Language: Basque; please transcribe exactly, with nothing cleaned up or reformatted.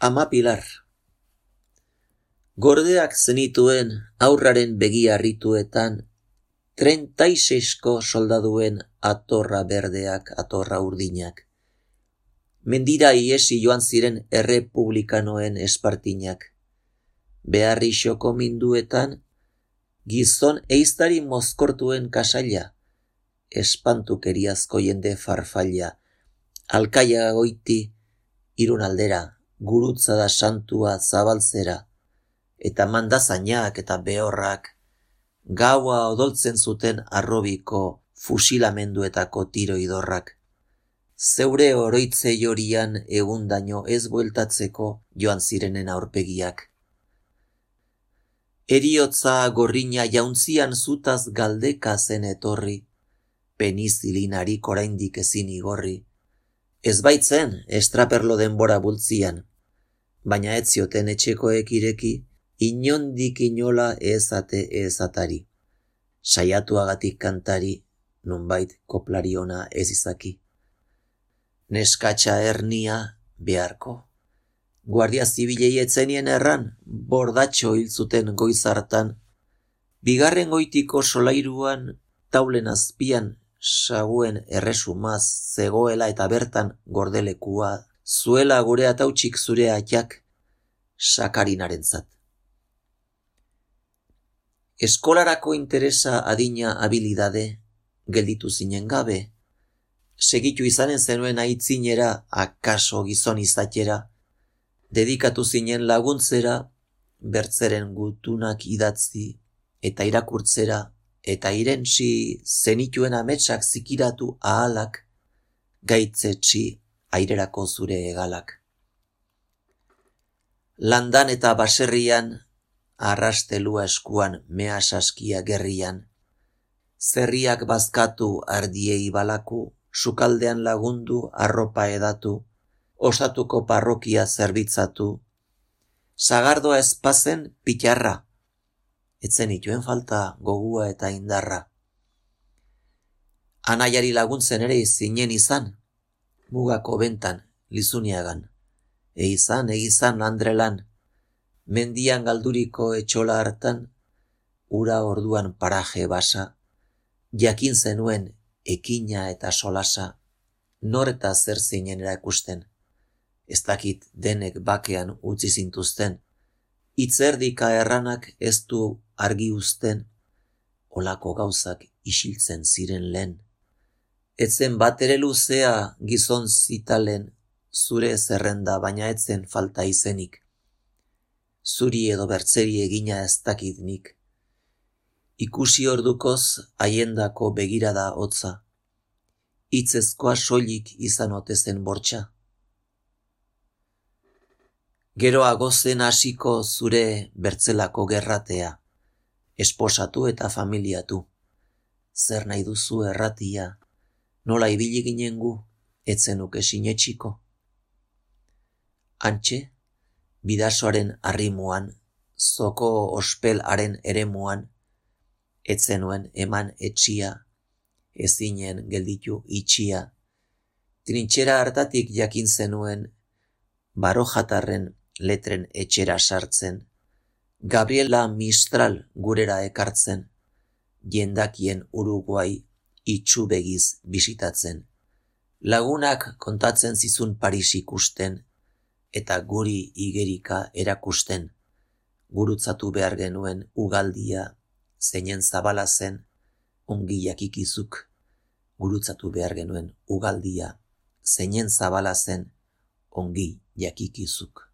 Ama Pilar. Gordeak zenituen aurraren begi harrituetan, treinta y seisko soldaduen atorra berdeak, atorra urdinak. Mendira iesi joan ziren errepublikanoen espartinak. Beharri xoko minduetan, gizon eiztari mozkortuen kasaila, espantukeriazko jende farfaila, alkaia goiti, irun aldera, gurutza da santua zabaltzera, eta mandazainak eta behorrak, gaua odoltzen zuten arrobiko fusilamenduetako tiro idorrak. Zeure oroitze jorian egundaino ez bueltatzeko joan zirenen aurpegiak. Eriotza gorrina jauntzian zutaz galdeka zen etorri, penizilinarik oraindik ezin igorri. Ez baitzen estraperlo denbora bultzian, baina ez zioten etxekoek ireki, inondik inola ezate ezatari. Saiatuagatik kantari, nunbait koplariona ez izaki. Neskatxa ernia beharko. Guardia zibilei etzenien erran, bordatxo hil zuten goiz hartan. Bigarren goitiko solairuan, taulen azpian, saguen erresumaz zegoela eta bertan gordelekua, zuela gure atautsik zure atxak, sakarinarentzat. Eskolarako interesa adina habilidade, gelditu zinen gabe, segitu izanen zenuen aitzinera, akaso gizon izatera, dedikatu zinen laguntzera, bertzeren gutunak idatzi, eta irakurtzera, eta irentsi zenituen ametsak zikiratu ahalak, gaitzetsi airerako zure egalak. Landan eta baserrian, arrastelua eskuan mea saskia gerrian, zerriak bazkatu ardiei balaku, sukaldean lagundu arropa edatu, osatuko parrokia zerbitzatu, sagardoa ezpazen pitarra, etzen ituen falta gogua eta indarra. Anaiari laguntzen ere zinen izan, mugako bentan, Lizuniagan, eizan, eizan Andrelan, mendian galduriko etxola hartan, ura orduan paraje basa, jakin zenuen ekina eta solasa, nor eta zer zinen erakusten. Ez dakit denek bakean utzi zintuzten, hitzerdika erranak ez du argi uzten, olako gauzak isiltzen ziren lehen. Etzen bat ere luzea gizon zitalen, zure zerrenda baina etzen falta izenik. Zuri edo bertzeri egina ez dakit nik. Ikusi ordukoz haiendako begirada hotza, hitzezkoa soilik izan ote zen bortxa. Geroago zen hasiko zure bertzelako gerratea, esposatu eta familiatu. Zer nahi duzu erratia, nola ibili ginen gu, etzenuke sinetxiko. Antxe, bidasoaren arrimuan, zoko ospelaren eremuan, etzenuen eman etxia, ezinen gelditu itxia, trintxera hartatik jakin zenuen, barojatarren letren etxera sartzen, Gabriela Mistral gurera ekartzen, jendakien Uruguai itxubegiz bisitatzen, lagunak kontatzen zizun Paris ikusten, eta guri igerika erakusten, gurutzatu behar genuen ugaldia, zeinen zabala zen, ongi jakikizuk, gurutzatu behar genuen ugaldia, zeinen zabala zen, ongi jakikizuk.